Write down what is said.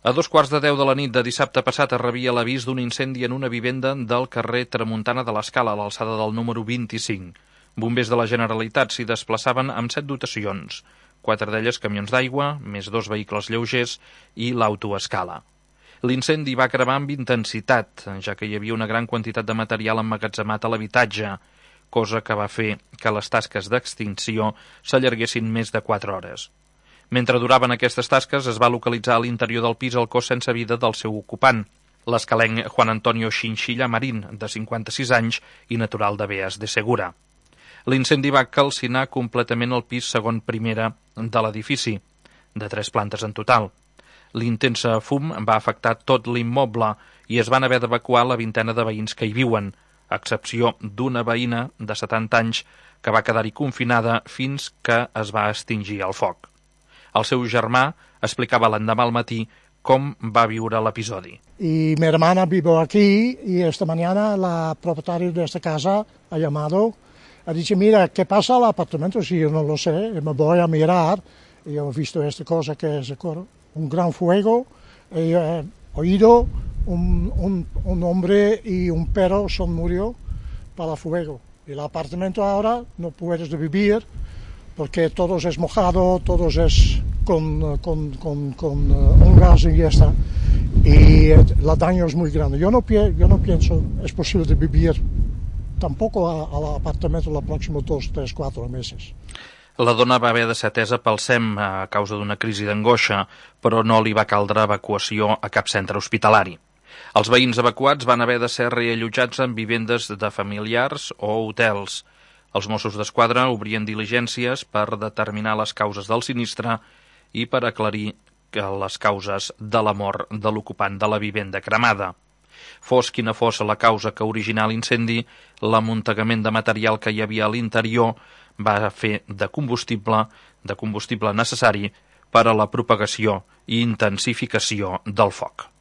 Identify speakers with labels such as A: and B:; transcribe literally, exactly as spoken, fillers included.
A: A dos quarts de deu de la nit de dissabte passat es rebia l'avís d'un incendi en una vivenda del carrer Tramuntana de l'Escala, a l'alçada del número vint-i-cinc. Bombers de la Generalitat s'hi desplaçaven amb set dotacions, quatre d'elles camions d'aigua, més dos vehicles lleugers i l'autoescala. L'incendi va cremar amb intensitat, ja que hi havia una gran quantitat de material emmagatzemat a l'habitatge, cosa que va fer que les tasques d'extinció s'allarguessin més de quatre hores. Mentre duraven aquestes tasques, es va localitzar a l'interior del pis el cos sense vida del seu ocupant, l'escalenc Juan Antonio Chinchilla Marín, de cinquanta-sis anys i natural de Beas de Segura. L'incendi va calcinar completament el pis segon primera de l'edifici, de tres plantes en total. L'intensa fum va afectar tot l'immoble i es van haver d'evacuar la vintena de veïns que hi viuen, a excepció d'una veïna de setanta anys que va quedar-hi confinada fins que es va extingir el foc. El seu germà explicava l'endemà al matí com va viure l'episodi.
B: Y mi hermana vive aquí y esta mañana la propietaria de esta casa ha llamado, ha dicho, mira, ¿qué pasa al apartamento? Si yo no lo sé, me voy a mirar y he visto esta cosa que es un gran fuego, he oído un, un, un hombre y un perro son murió para el fuego. Y el apartamento ahora no puedes vivir porque todo es mojado, todo es con, con, con, con uh, un gas y ya está. Y el daño es muy grande. Yo no, yo no pienso es posible de vivir tampoco al apartamento los próximos dos, tres, cuatro meses.
A: La dona va haver de ser atesa pel S E M a causa d'una crisi d'angoixa, però no li va caldre evacuació a cap centre hospitalari. Els veïns evacuats van haver de ser reallotjats en vivendes de familiars o hotels. Els Mossos d'Esquadra obrien diligències per determinar les causes del sinistre i per aclarir les causes de la mort de l'ocupant de la vivenda cremada. Fos quina fos la causa que originà l'incendi, l'amuntegament de material que hi havia a l'interior va fer de combustible, de combustible necessari per a la propagació i intensificació del foc.